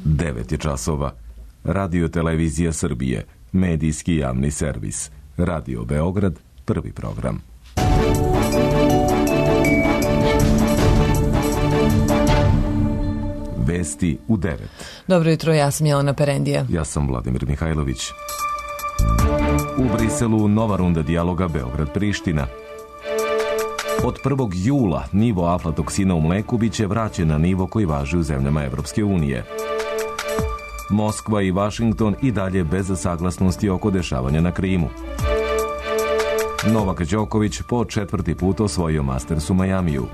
9 je časova. Radio Televizija Srbije, medijski javni servis. Radio Beograd, prvi program. Vesti u 9. Dobro jutro, ja sam Jelena Perendija. Ja sam Vladimir Mihajlović. U Briselu nova runda dijaloga Beograd-Priština. Od 1. jula nivo aflatoksina u mleku biće vraćen na nivo koji važi u zemljama Evropske unije. Moskva i Vašington i dalje bez saglasnosti oko dešavanja na Krimu. Novak Đoković po 4. put osvojio Masters u Majamiju.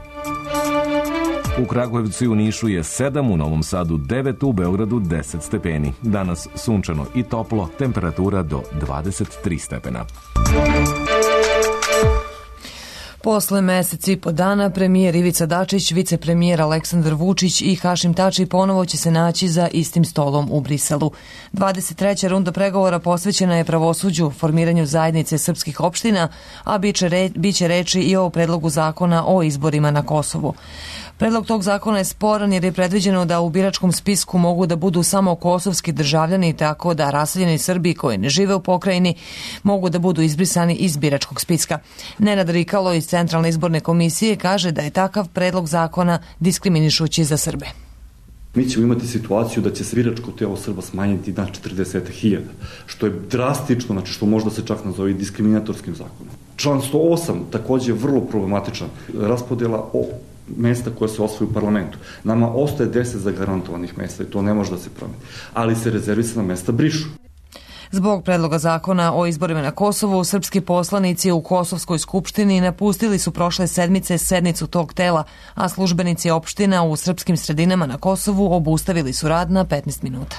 U Kragujevcu i u Nišu je 7, u Novom Sadu 9, u Beogradu 10 stepeni. Danas sunčano i toplo, temperatura do 23 stepena. Posle meseci i po dana, premijer Ivica Dačić, vicepremijer Aleksandar Vučić i Hašim Tači ponovo će se naći za istim stolom u Briselu. 23. runda pregovora posvećena je pravosuđu, formiranju zajednice srpskih opština, a biće reči i o predlogu zakona o izborima na Kosovu. Predlog tog zakona je sporan jer je predviđeno da u biračkom spisku mogu da budu samo kosovski državljani, tako da raseljeni Srbi koji ne žive u pokrajini mogu da budu izbrisani iz biračkog spiska. Nenad Rikalo iz Centralne izborne komisije kaže da je takav predlog zakona diskriminišući za Srbe. Mi ćemo imati situaciju da će se biračko telo Srba smanjiti na 40.000, što je drastično, znači što možda se čak nazove diskriminatorskim zakonom. Član 108 takođe je vrlo problematičan, raspodela o mesta koje se osvoju u parlamentu. Nama ostaje 10 zagarantovanih mesta i to ne može da se promeni, ali se rezervisana mesta brišu. Zbog predloga zakona o izborima na Kosovu, srpski poslanici u Kosovskoj skupštini napustili su prošle sedmice sednicu tog tela, a službenici opština u srpskim sredinama na Kosovu obustavili su rad na 15 minuta.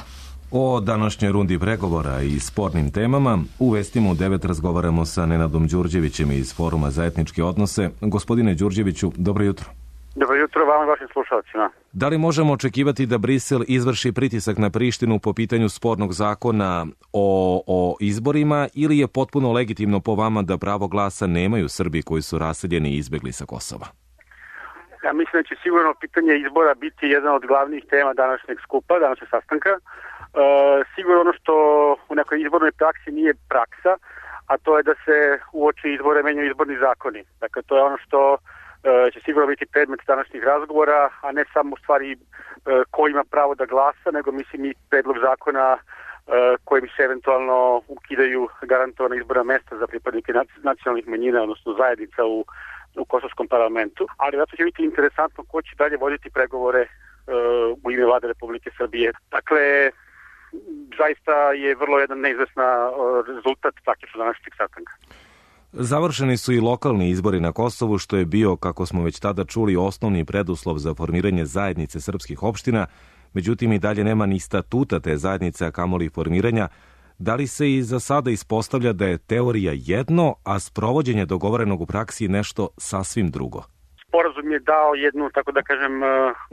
O današnjoj rundi pregovora i spornim temama u vestima u 9 razgovaramo sa Nenadom Đurđevićem iz Foruma za etničke odnose. Gospodine Đurđeviću, dobro jutro. Dobro jutro vama i vašim slušalcima. Da li možemo očekivati da Brisel izvrši pritisak na Prištinu po pitanju spornog zakona o izborima ili je potpuno legitimno po vama da pravo glasa nemaju Srbi koji su raseljeni i izbegli sa Kosova? Ja mislim da će sigurno pitanje izbora biti jedna od glavnih tema današnjeg skupa, današnjeg sastanka. Sigurno ono što u nekoj izbornoj praksi nije praksa, a to je da se uoči izbore menjaju izborni zakoni. Dakle, to je ono što će sigurno biti predmet današnjih razgovora, a ne samo u stvari ko ima pravo da glasa, nego mislim i predlog zakona kojim se eventualno ukidaju garantovana izborna mesta za pripadnike nacionalnih manjina, odnosno zajednica u kosovskom parlamentu. Ali zato će biti interesantno ko će dalje voditi pregovore u ime Vlade Republike Srbije. Dakle, zaista je vrlo jedan neizvesna rezultat praktično današnjeg sastanka. Završeni su i lokalni izbori na Kosovu, što je bio, kako smo već tada čuli, osnovni preduslov za formiranje zajednice srpskih opština. Međutim, i dalje nema ni statuta te zajednice, a kamoli formiranja. Da li se i za sada ispostavlja da je teorija jedno, a sprovođenje dogovorenog u praksi nešto sasvim drugo? Sporazum je dao jednu, tako da kažem,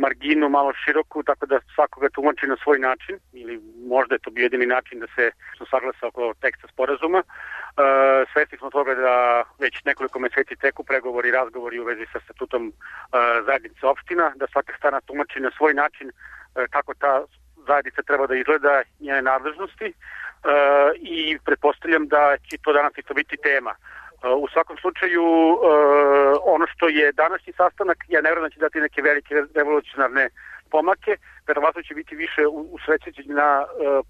marginu malo široku, tako da svakoga tumači na svoj način, ili možda je to bio jedini način da se saglasa oko teksta sporazuma. Svesni smo toga da već nekoliko meseci teku pregovori i razgovori u vezi sa statutom zajednice opština, da svaka strana tumači na svoj način kako ta zajednica treba da izgleda, njene nadležnosti i pretpostavljam da će to danas isto biti tema. U svakom slučaju, ono što je današnji sastanak, ja ne vjerujem da će dati neke velike revolucionarne pomake, verovatno će biti više usrećenje na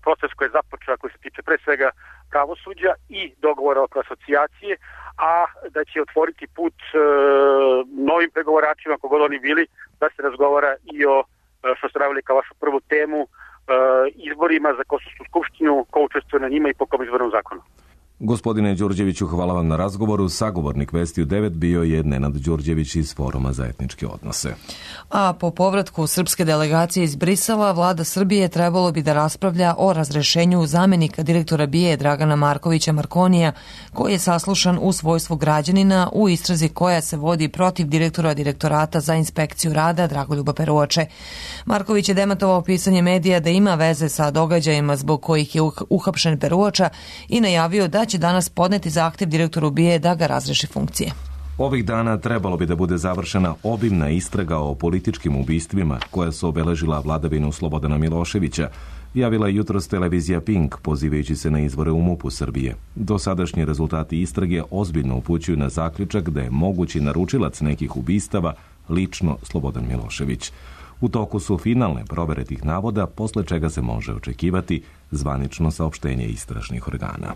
proces koji je započeo, koji se tiče pre svega pravosuđa i dogovora oko asocijacije, a da će otvoriti put novim pregovoračima, kogod oni bili, da se razgovara i o, što ste naveli kao vašu prvu temu, izborima za Kosovsku skupštinu, ko učestvuje na njima i po kom izbornom zakonu. Gospodine Đurđeviću, hvala vam na razgovoru. Sagovornik Vesti u 9 bio je Nenad Đurđević iz Foruma za etničke odnose. A po povratku srpske delegacije iz Brisela, vlada Srbije trebalo bi da raspravlja o razrešenju zamenika direktora BIA Dragana Markovića Markonija, koji je saslušan u svojstvu građanina u istrazi koja se vodi protiv direktora Direktorata za inspekciju rada Dragoljuba Peruoče. Marković je demantovao pisanje medija da ima veze sa događajima zbog kojih je uhapšen Peruoča i najavio da će danas podneti zahtev direktoru BIA da ga razreši funkcije. Ovih dana trebalo bi da bude završena obimna istraga o političkim ubistvima koja su obeležila vladavinu Slobodana Miloševića, javila je jutros televizija Pink, pozivajući se na izvore u MUP-u Srbije. Dosadašnji rezultati istrage ozbiljno upućuju na zaključak da je mogući naručilac nekih ubistava lično Slobodan Milošević. U toku su finalne provere tih navoda, posle čega se može očekivati zvanično saopštenje istražnih organa.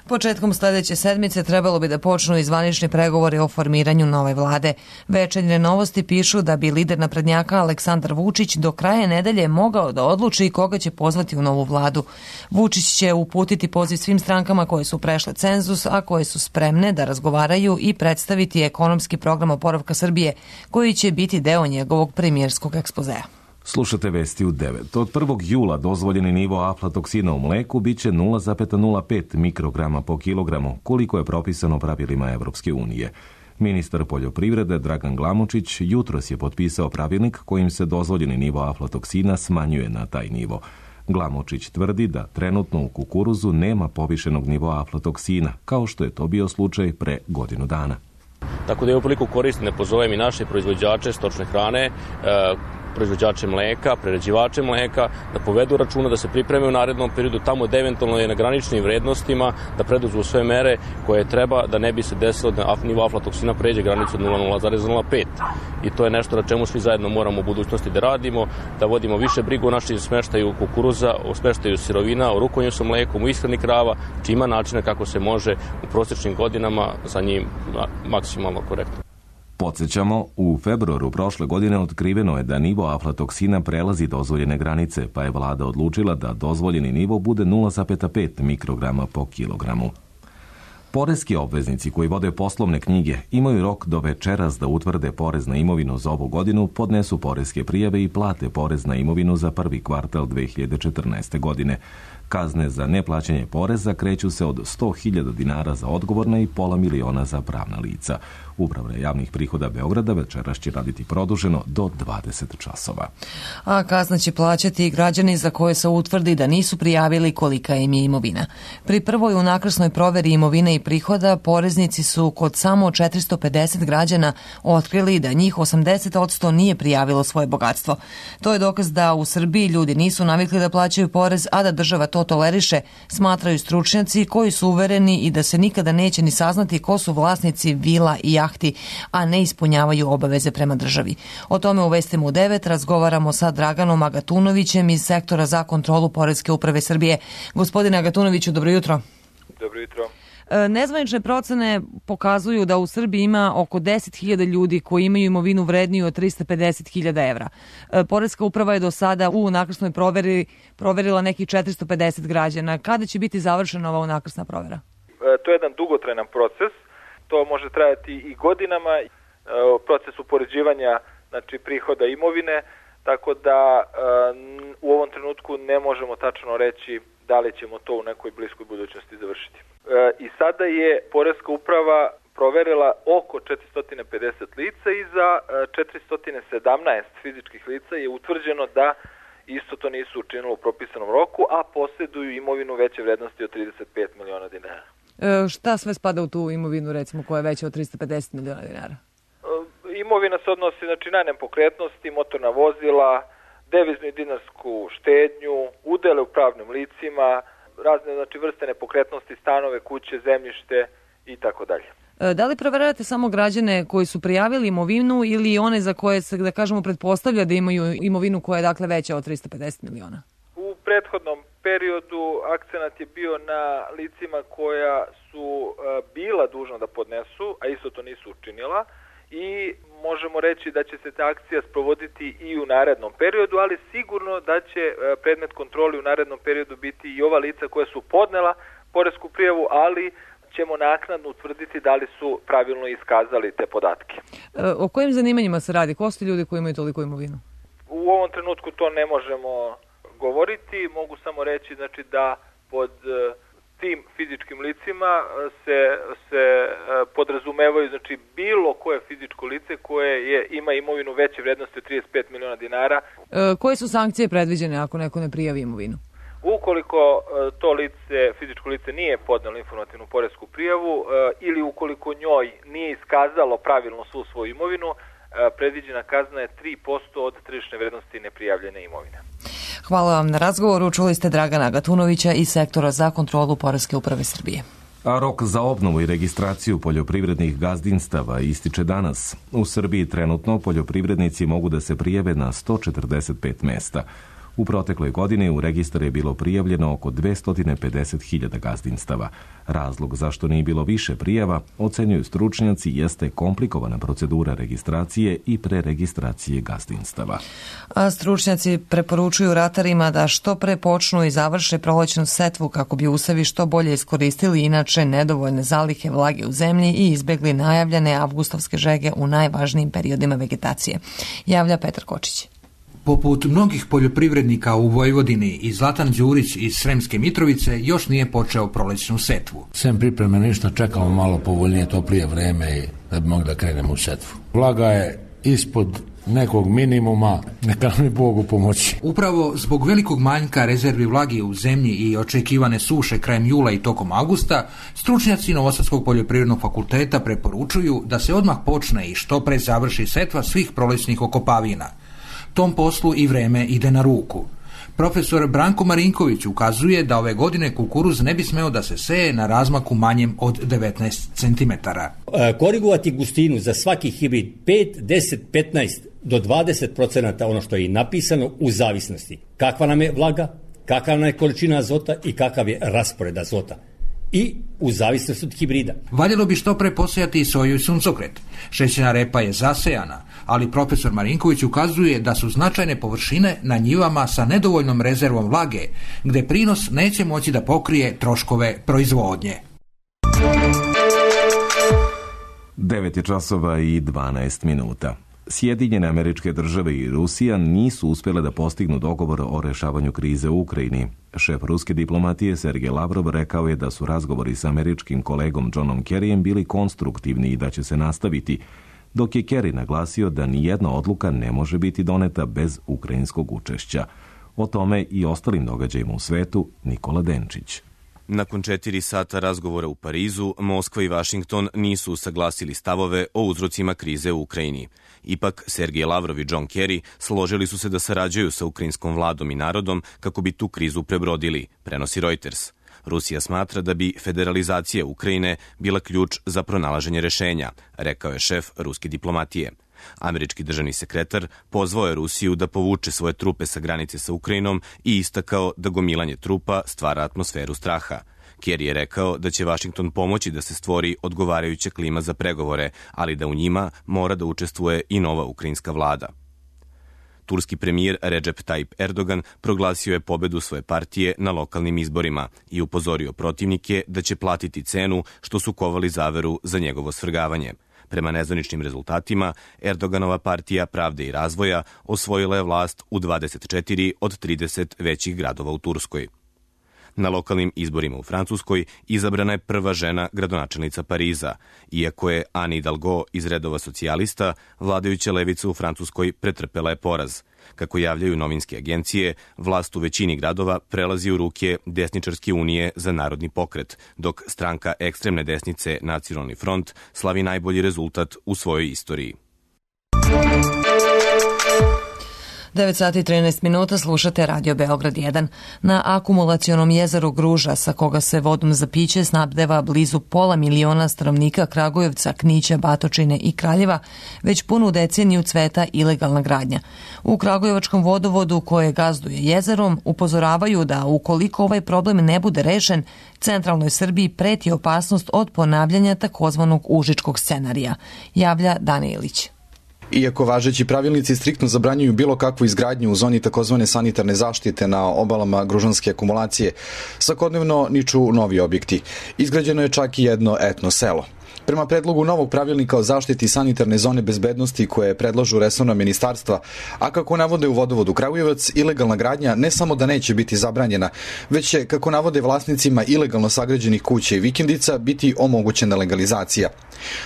Početkom sledeće sedmice trebalo bi da počnu i zvanični pregovori o formiranju nove vlade. Večernje novosti pišu da bi lider naprednjaka Aleksandar Vučić do kraja nedelje mogao da odluči koga će pozvati u novu vladu. Vučić će uputiti poziv svim strankama koje su prešle cenzus, a koje su spremne da razgovaraju i predstaviti ekonomski program oporavka Srbije, koji će biti deo njegovog premijerskog ekspozea. Slušate vesti u 9. Od 1. jula dozvoljeni nivo aflatoksina u mleku biće 0,05 mikrograma po kilogramu, koliko je propisano pravilima Evropske unije. Ministar poljoprivrede Dragan Glamočić jutros je potpisao pravilnik kojim se dozvoljeni nivo aflatoksina smanjuje na taj nivo. Glamočić tvrdi da trenutno u kukuruzu nema povišenog nivoa aflatoksina, kao što je to bio slučaj pre godinu dana. Tako da je upriliku koristim da pozovem i naše proizvođače stočne hrane, proizvođače mleka, prerađivače mleka, da povedu računa, da se pripreme u narednom periodu tamo da eventualno je na graničnim vrednostima, da preduzmu sve mere koje treba da ne bi se desilo da nivo aflatoksina pređe granicu od 0,05. I to je nešto na čemu svi zajedno moramo u budućnosti da radimo, da vodimo više brigu o našem smeštaju kukuruza, o smeštaju sirovina, o rukovanju sa mlekom, u ishrani krava, či ima načina kako se može u prosječnim godinama sa njim maksimalno korektno. Podsjećamo, u februaru prošle godine otkriveno je da nivo aflatoksina prelazi dozvoljene granice, pa je vlada odlučila da dozvoljeni nivo bude 0,5 mikrograma po kilogramu. Poreski obveznici koji vode poslovne knjige imaju rok do večeras da utvrde porez na imovinu za ovu godinu, podnesu poreske prijave i plate porez na imovinu za prvi kvartal 2014. godine. Kazne za neplaćanje poreza kreću se od 100.000 dinara za odgovorna i $500.000 za pravna lica. Uprava javnih prihoda Beograda večeras će raditi produženo do 20 časova. A kazna će plaćati i građani za koje se utvrdi da nisu prijavili kolika im je imovina. Pri prvoj unakrsnoj proveri imovine i prihoda poreznici su kod samo 450 građana otkrili da njih 80% nije prijavilo svoje bogatstvo. To je dokaz da u Srbiji ljudi nisu navikli da plaćaju porez, a da država to toleriše, smatraju stručnjaci koji su uvereni i da se nikada neće ni saznati ko su vlasnici vila i jahti, a ne ispunjavaju obaveze prema državi. O tome u vestima u 9 razgovaramo sa Draganom Agatunovićem iz Sektora za kontrolu Poreske uprave Srbije. Gospodine Agatunoviću, dobro jutro. Dobro jutro. Nezvanične procene pokazuju da u Srbiji ima oko 10.000 ljudi koji imaju imovinu vredniju od 350.000 evra. Poreska uprava je do sada u unakrsnoj proveri proverila nekih 450 građana. Kada će biti završena ova unakrsna provera? To je jedan dugotrajan proces. To može trajati i godinama. Proces upoređivanja, znači prihoda imovine, tako da u ovom trenutku ne možemo tačno reći da li ćemo to u nekoj bliskoj budućnosti završiti. I sada je Poreska uprava proverila oko 450 lica i za 417 fizičkih lica je utvrđeno da isto to nisu učinilo u propisanom roku, a posjeduju imovinu veće vrednosti od 35 miliona dinara. Šta sve spada u tu imovinu, recimo, koja je veća od 350 miliona dinara? Imovina se odnosi na nepokretnosti, motorna vozila, deviznu i dinarsku štednju, udele u pravnim licima, razne vrste nepokretnosti, stanove, kuće, zemljište i tako dalje. Da li proveravate samo građane koji su prijavili imovinu ili one za koje se, da kažemo, pretpostavlja da imaju imovinu koja je dakle veća od 350 miliona? U prethodnom periodu akcenat je bio na licima koja su bila dužna da podnesu, a isto to nisu učinila, i možemo reći da će se ta akcija sprovoditi i u narednom periodu, ali sigurno da će predmet kontroli u narednom periodu biti i ova lica koja su podnela poresku prijavu, ali ćemo naknadno utvrditi da li su pravilno iskazali te podatke. O kojim zanimanjima se radi? Ko su ljudi koji imaju toliko imovinu? U ovom trenutku to ne možemo govoriti, mogu samo reći da pod tim fizičkim licima se podrazumevaju bilo koje fizičko lice koje ima imovinu veće vrednosti od 35 miliona dinara. Koje su sankcije predviđene ako neko ne prijavi imovinu? Ukoliko to lice, fizičko lice nije podnelo informativnu poresku prijavu ili ukoliko njoj nije iskazalo pravilno svu svoju imovinu, predviđena kazna je 3% od tržišne vrednosti neprijavljene imovine. Hvala vam na razgovoru. Čuli ste Dragana Gatunovića iz Sektora za kontrolu Poreske uprave Srbije. A rok za obnovu i registraciju poljoprivrednih gazdinstava ističe danas. U Srbiji trenutno poljoprivrednici mogu da se prijave na 145 mesta. U protekloj godini u registar je bilo prijavljeno oko 250.000 gazdinstava. Razlog zašto nije bilo više prijava, ocenjuju stručnjaci, jeste komplikovana procedura registracije i preregistracije gazdinstava. A stručnjaci preporučuju ratarima da što pre počnu i završe prolećnu setvu kako bi usevi što bolje iskoristili inače nedovoljne zalihe vlage u zemlji i izbegli najavljene avgustovske žege u najvažnijim periodima vegetacije. Javlja Petar Kočić. Poput mnogih poljoprivrednika u Vojvodini i Zlatan Đurić iz Sremske Mitrovice još nije počeo prolećnu setvu. Sem pripreme ništa, čekamo malo povoljnije, toplije vreme i da bi mogli da krenemo u setvu. Vlaga je ispod nekog minimuma, neka mi Bogu pomoći. Upravo zbog velikog manjka rezervi vlage u zemlji i očekivane suše krajem jula i tokom avgusta, stručnjaci Novosadskog poljoprivrednog fakulteta preporučuju da se odmah počne i što pre završi setva svih prolećnih okopavina. Tom poslu i vreme ide na ruku. Profesor Branko Marinković ukazuje da ove godine kukuruz ne bi smeo da se seje na razmaku manjem od 19 cm. Korigovati gustinu za svaki hibrid 5, 10, 15 do 20% ono što je i napisano u zavisnosti kakva nam je vlaga, kakva nam je količina azota i kakav je raspored azota. I u zavisnosti od hibrida. Valjalo bi što pre posejati i soju i suncokret. Šećerna repa je zasejana, ali profesor Marinković ukazuje da su značajne površine na njivama sa nedovoljnom rezervom vlage, gde prinos neće moći da pokrije troškove proizvodnje. 9:12. Sjedinjene Američke Države i Rusija nisu uspjele da postignu dogovor o rešavanju krize u Ukrajini. Šef ruske diplomatije Sergej Lavrov rekao je da su razgovori s američkim kolegom Johnom Kerryjem bili konstruktivni i da će se nastaviti, dok je Kerry naglasio da nijedna odluka ne može biti doneta bez ukrajinskog učešća. O tome i ostalim događajima u svetu Nikola Denčić. Nakon 4 sata razgovora u Parizu, Moskva i Vašington nisu usaglasili stavove o uzrocima krize u Ukrajini. Ipak, Sergej Lavrov i John Kerry složili su se da sarađuju sa ukrajinskom vladom i narodom kako bi tu krizu prebrodili, prenosi Reuters. Rusija smatra da bi federalizacija Ukrajine bila ključ za pronalaženje rešenja, rekao je šef ruske diplomatije. Američki državni sekretar pozvao je Rusiju da povuče svoje trupe sa granice sa Ukrajinom i istakao da gomilanje trupa stvara atmosferu straha. Kerry je rekao da će Vašington pomoći da se stvori odgovarajuća klima za pregovore, ali da u njima mora da učestvuje i nova ukrajinska vlada. Turski premijer Recep Tayyip Erdogan proglasio je pobedu svoje partije na lokalnim izborima i upozorio protivnike da će platiti cenu što su kovali zaveru za njegovo svrgavanje. Prema nezvaničnim rezultatima, Erdoganova partija Pravde i razvoja osvojila je vlast u 24 od 30 većih gradova u Turskoj. Na lokalnim izborima u Francuskoj izabrana je prva žena gradonačelnica Pariza, iako je Anne Hidalgo iz redova socijalista, vladajuća levica u Francuskoj pretrpela je poraz. Kako javljaju novinske agencije, vlast u većini gradova prelazi u ruke desničarske unije za narodni pokret, dok stranka ekstremne desnice Nacionalni front slavi najbolji rezultat u svojoj istoriji. 9:13 slušate Radio Beograd 1. Na akumulacionom jezeru Gruža, sa koga se vodom za piće snabdeva blizu 500.000 stanovnika Kragujevca, Knića, Batočine i Kraljeva, već punu deceniju cveta ilegalna gradnja. U Kragujevačkom vodovodu, koje gazduje jezerom, upozoravaju da ukoliko ovaj problem ne bude rešen, centralnoj Srbiji preti opasnost od ponavljanja takozvanog užičkog scenarija, javlja Dane Ilić. Iako važeći pravilnici striktno zabranjuju bilo kakvu izgradnju u zoni takozvane sanitarne zaštite na obalama gružanske akumulacije, svakodnevno niču novi objekti. Izgrađeno je čak i jedno etno selo. Prema predlogu novog pravilnika o zaštiti sanitarne zone bezbednosti koje predlažu resorna ministarstva, a kako navode u Vodovodu Kragujevac, ilegalna gradnja ne samo da neće biti zabranjena, već će, kako navode vlasnicima ilegalno sagrađenih kuća i vikendica, biti omogućena legalizacija.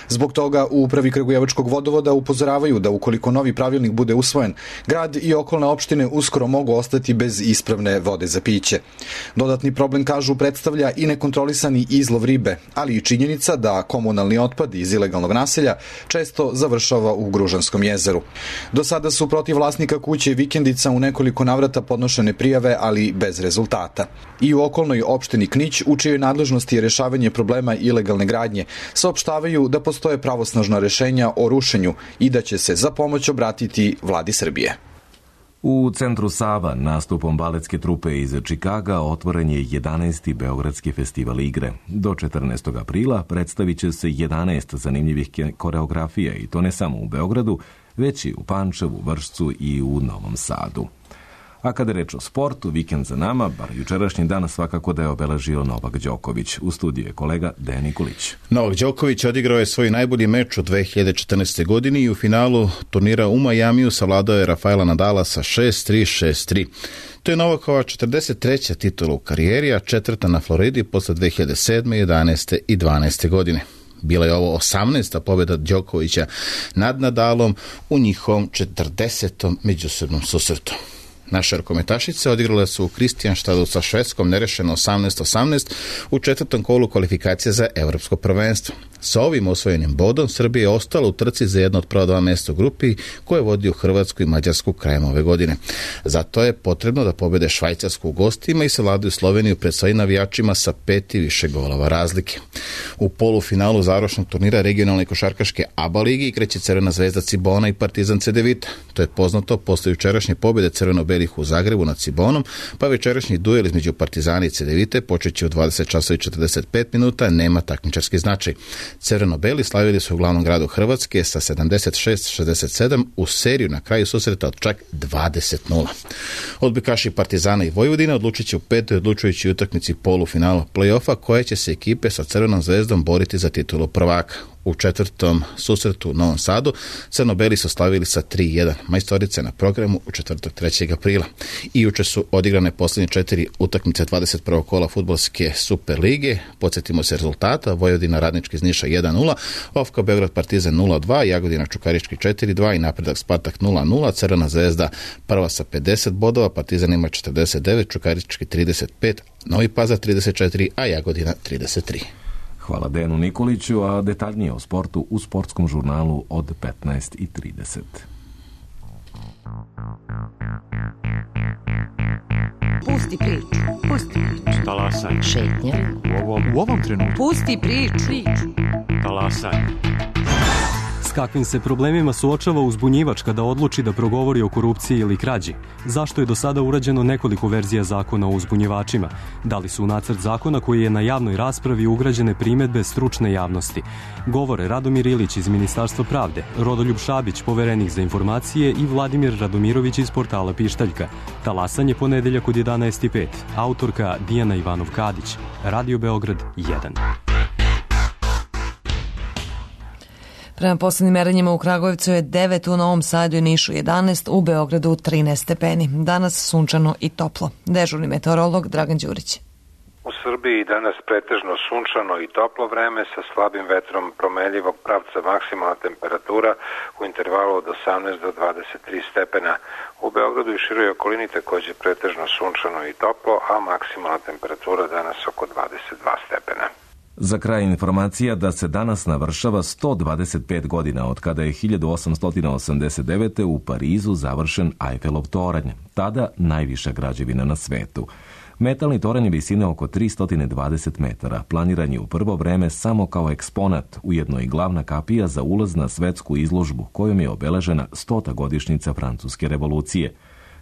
Zbog toga u Upravi Kragujevačkog vodovoda upozoravaju da ukoliko novi pravilnik bude usvojen, grad i okolne opštine uskoro mogu ostati bez ispravne vode za piće. Dodatni problem, kažu, predstavlja i nekontrolisani izlov ribe, ali i činjenica da komunalni otpad iz ilegalnog naselja često završava u Gružanskom jezeru. Do sada su protiv vlasnika kuće i vikendica u nekoliko navrata podnošene prijave, ali bez rezultata. I u okolnoj opštini Knić, u čijoj nadležnosti je rešavanje problema ilegalne gradnje, saopštavaju da postoje pravosnažna rešenja o rušenju i da će se za pomoć obratiti vladi Srbije. U centru Sava nastupom baletske trupe iz Čikaga otvoren je 11. Beogradski festival igre. Do 14. aprila predstavit će se 11 zanimljivih koreografija i to ne samo u Beogradu, već i u Pančevu, Vršcu i u Novom Sadu. A kada je reč o sportu, vikend za nama, bar jučerašnji dan svakako da je obeležio Novak Đoković. U studiju je kolega Dejan Nikolić. Novak Đoković odigrao je svoj najbolji meč u 2014. godini i u finalu turnira u Majamiju savladao je Rafaela Nadala sa 6-3, 6-3. To je Novakova 43. titula u karijeri, a 4. na Floridi posle 2007., 11. i 12. godine. Bila je ovo 18. pobjeda Đokovića nad Nadalom u njihovom 40. međusobnom susretu. Naše rukometašice odigrale su u Kristijanštadu sa Švedskom nerešeno 18-18 u 4. kolu kvalifikacije za evropsko prvenstvo. Sa ovim osvojenim bodom Srbija je ostala u trci za jedno od prva 2 mesta u grupi koje vodi u Hrvatsku i Mađarsku krajem ove godine. Zato je potrebno da pobede Švajcarsku u gostima i savladaju Sloveniju pred svojim navijačima sa 5 i više golova razlike. U polufinalu završnog turnira regionalne košarkaške ABA ligi igraće Crvena zvezda Cibona i Partizan Cedevita. To je poznato posle jučerašnje pobjede crveno-belih u Zagrebu nad Cibonom, pa večerašnji duel između Partizana i Cedevite počeće u 20:45 minuta, nema takmičarski značaj. Crveno-beli slavili su u glavnom gradu Hrvatske sa 76-67 u seriju na kraju susreta od čak 20:0. Odbojkaši Partizana i Vojvodine odlučit će u 5. odlučujućoj utakmici polufinala play-offa koje će se ekipe sa Crvenom zvezdom boriti za titulu prvaka. U 4. susretu u Novom Sadu crno-beli su slavili sa 3-1. Majstorice na programu u četvrtak 3. aprila. I juče su odigrane posljednje 4 utakmice 21. kola fudbalske Super lige. Podsjetimo se rezultata: Vojvodina Radnički iz Niša 1-0, Ofka Beograd Partizan 0-2, Jagodina Čukarički 4-2 i Napredak Spartak 0-0. Crvena zvezda prva sa 50 bodova, Partizan ima 49, Čukarički 35, Novi Pazar 34, a Jagodina 33. Hvala Dejanu Nikoliću, a detaljnije o sportu u sportskom žurnalu od 15:30. Pusti priču. Pusti priču. Talasaj. Šetnja. U ovom trenutku. Pusti priču. Talasaj. S kakvim se problemima suočava uzbunjivač kada odluči da progovori o korupciji ili krađi? Zašto je do sada urađeno nekoliko verzija zakona o uzbunjivačima? Da li su u nacrt zakona koji je na javnoj raspravi ugrađene primedbe stručne javnosti? Govore Radomir Ilić iz Ministarstva pravde, Rodoljub Šabić, poverenik za informacije i Vladimir Radomirović iz portala Pištaljka. Talasanje ponedeljak od 11:05. Autorka Dijana Ivanov-Kadić. Radio Beograd 1. Prema poslednjim merenjima u Kragujevcu je 9, u Novom Sadu i Nišu 11, u Beogradu 13 stepeni. Danas sunčano i toplo. Dežurni meteorolog Dragan Đurić. U Srbiji danas pretežno sunčano i toplo vreme sa slabim vetrom promenljivog pravca, maksimalna temperatura u intervalu od 18 do 23 stepena. U Beogradu i široj okolini takođe pretežno sunčano i toplo, a maksimalna temperatura danas oko 22 stepena. Za kraj informacija da se danas navršava 125 godina od kada je 1889. u Parizu završen Eiffelov toranj, tada najviša građevina na svetu. Metalni toranj je visine oko 320 metara, planiran je u prvo vreme samo kao eksponat, ujedno i glavna kapija za ulaz na svetsku izložbu kojom je obeležena 100. godišnjica Francuske revolucije.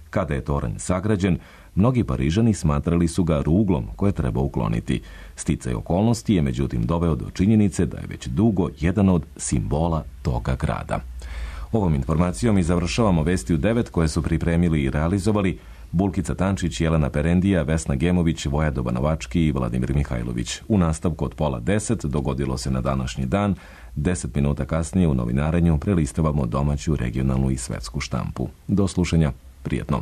Kada je toranj sagrađen, mnogi Parižani smatrali su ga ruglom koje treba ukloniti. Sticaj okolnosti je međutim doveo do činjenice da je već dugo jedan od simbola toga grada. Ovom informacijom i završavamo Vesti u 9 koje su pripremili i realizovali Bulkica Tančić, Jelena Perendija, Vesna Gemović, Vojadoba Novački i Vladimir Mihajlović. U nastavku od 9:30 dogodilo se na današnji dan. 10 minuta kasnije u novinarenju prelistavamo domaću, regionalnu i svetsku štampu. Do slušanja, prijetno.